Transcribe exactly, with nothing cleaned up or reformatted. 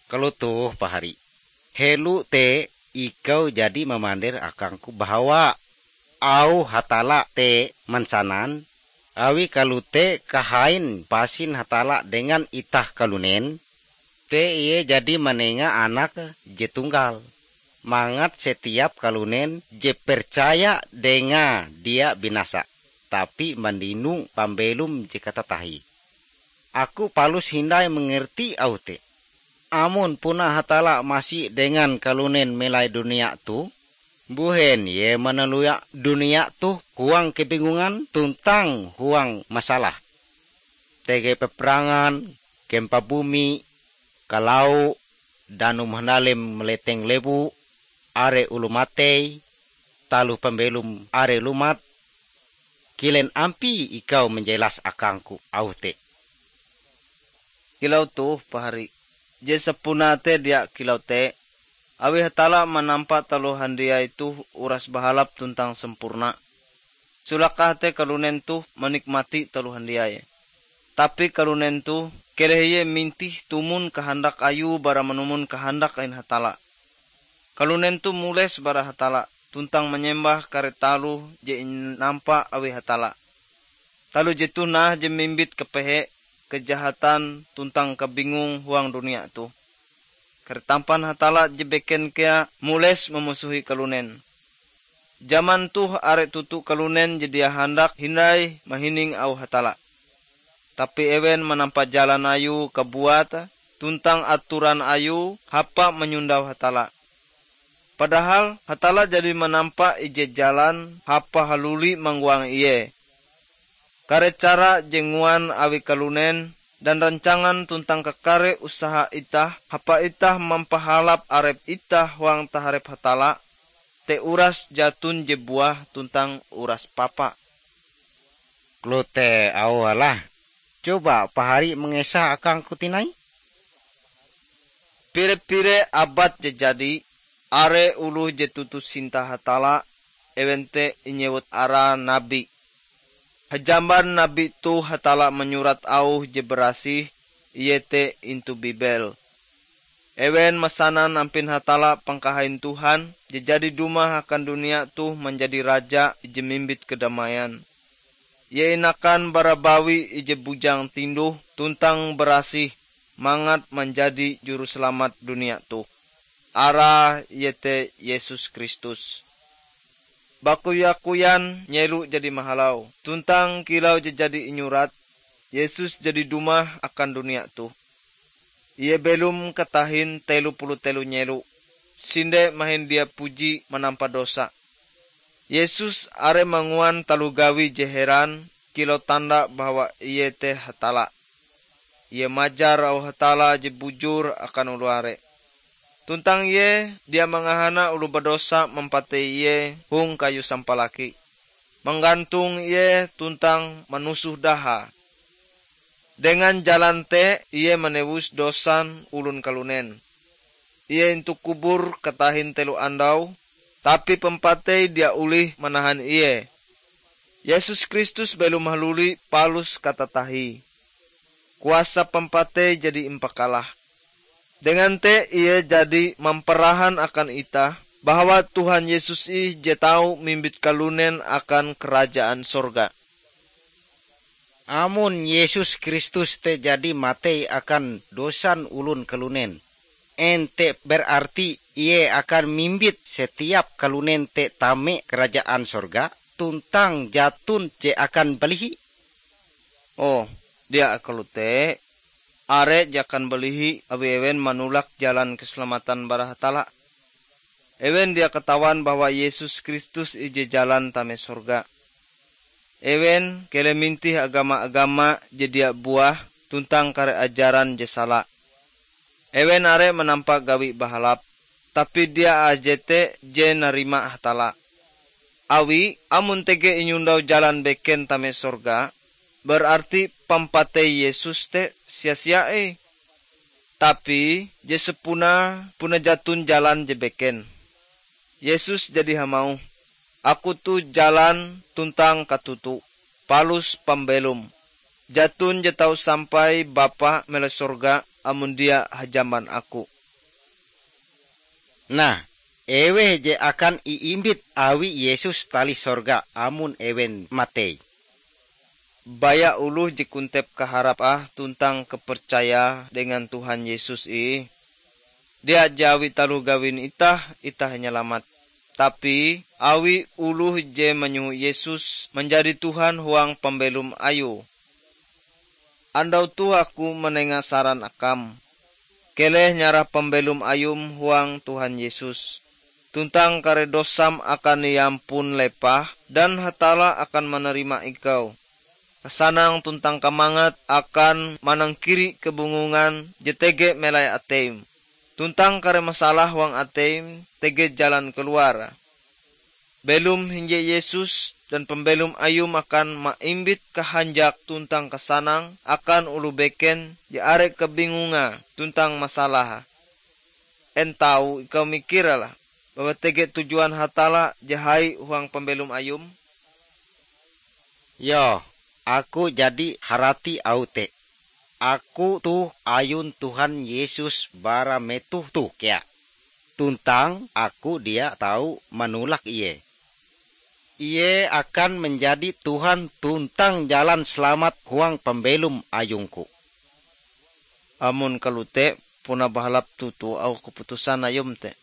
Kalotoh pahari, helo te ikau jadi mamander akangku bahawa auh Hatalla te mansanan, awi kalote kahain pasin Hatalla dengan itah kalunen, te Ie jadi manenga Anake je tunggal, mangat setiap kalunen je percaya Dengae dia binasa, tapi mandino pambelom je katatahie. Aku palus hindai mangerti auh te. Amon puna Hatalla masi dengan kalunen melai dunia toh, mbuhen Ie manalua dunia toh huang kebingungan tuntang huang masalah? Tege peperangan, kempa bumi, kalau, danum handalim maleteng lewu, are oloh matei, taloh pambelom are lumat, kilen ampie ikau manjelas akangku auh te? Kilau toh pahari, je sapunae te dia kilau te, awi Hatalla manampa taloh handiai toh uras bahalap tuntang sampurna. Sulakah te kalunen toh manikmati taloh handiai. Tapi kalunen toh keleh ie mintih tumon kahandak ayue bara manumon kahandak ain Hatalla. Kalunen toh mules bara Hatalla tuntang manyembah kare taloh je inampa awi Hatalla. Taloh jetoh nah je mimbit kapehe, kajahatan, tuntang kabingung huang dunia toh. Kare tampan Hatalla je beken kea mules mamusohi kalunen. Jaman toh are toto kalunen je dia handak hindai mahining auh Hatalla. Tapi ewen manampa jalan ayue kabuat tuntang atoran ayue hapa manyondau Hatalla. Padahal Hatalla jadi manampa ije jalan hapa haluli manggoang Ie. Kare cara je nguan awi kalunen dan rancangan tuntang kakare usaha itah hapa itah mampahalap arep itah huang taharep Hatalla, te uras jaton je buah tuntang uras papa. Kalote auh Allah, coba pahari mangesa akangku tinai? Pire-pire abad je jadi, are oloh je toto sinta Hatalla, ewen te inyewut arae nabi. Hajamban nabi toh Hatalla manyurat auh je barasih, iete intu Bibel. Ewen masanan ampin Hatalla pangkahain Tuhan je jadi dumah akan dunia toh manjadi Raja ije mimbit kadamaian. Ie inakan bara bawi ije bujang tinduh tuntang barasih mangat manjadi Juruselamat dunia toh. Arae iete Yesus Kristus. Bakoya-koyan nyelo jadi mahalau, tuntang kilau je jadi inyurat, Yesus jadi dumah akan dunia toh. Ie belom katahin telo puluh telo nyelo, sinde mahin dia puji manampa dosa. Yesus are manguan taloh gawi je heran kilau tanda bahwa Ie te Hatalla. Ie majar auh Hatalla je bujur akan oloh are. Tuntang Ie dia mangahana oloh badosa mampatei Ie hong kayu sampalaki, manggantong Ie tuntang manusoh dahae. Dengan jalan te Ie manewus dosan olon kalunen. Ie intu kubur katahin telo andau, tapi pampatei dia olih manahan Ie. Yesus Kristus belom haluli palus katatahie. Kuasa pampatei jadi impakalah. Dengan te Ie jadi mamparahan akan itah bahwa Tuhan Yesus ih je tau mimbit kalunen akan Karajaan Sorga. Amon Yesus Kristus te jadi matei akan dosan olon kalunen, en te berarti Ie akan mimbit setiap kalunen te tame Karajaan Sorga, tuntang jaton je akan balihi? Oh, dia kalote. Are je akan balihi awi ewen manolak jalan keselamatan bara Hatalla. Ewen dia katawan bahwa Yesus Kristus ije jalan tame sorga. Ewen keleh mintih agama-agama je dia buah tuntang kare ajaran je sala. Ewen are manampa gawi bahalap, tapi dia aje te je narima Hatalla. Awi, amon tege inyondau jalan beken tame sorga, berarti pampatei Yesus te sia-sia ih. Tapi je sapunae puna jaton jalan je beken. Yesus jadi hamauh, "Aku toh jalan tuntang katutu, palus pambelom. Jaton je tau sampai Bapa melai sorga amon dia hajamban Aku." Nah, eweh je akan iimbit awi Yesus talih sorga amon ewen matei? Baya oloh je kontep kaharap ah tuntang kapercaya dengan Tuhan Yesus ih. Dia je awi taloh gawin itah, itah inyalamat. Tapi, awi oloh je manyoho Yesus manjadi Tuhan huang pambelom Ayue. Andau toh aku manenga saran akam, keleh nyarah pambelom ayum huang Tuhan Yesus, tuntang kare dosam akan iampun lepah, dan Hatalla akan manarima ikau. Kasanang tuntang kamangat akan manangkiri kabungongan je tege melai ateim, tuntang kare masalah huang ateim tege jalan kaluar. Belom hinje Yesus dan pambelom Ayum akan maimbit kahanjak tuntang kasanang akan oloh beken je are kabingongae tuntang masalahe. En tau ikau mikir lah, bahwa tege tujuan Hatalla je hai huang pambelom Ayum? Yoh, aku jadi harati auh te. Aku toh ayun Tuhan Yesus bara metoh toh kea, tuntang aku dia tau manolak Ie. Ie akan manjadi Tuhan tuntang jalan salamat huang pambelom ayungku. Amon kalote, puna bahalap toto auh kaputusan ayum te.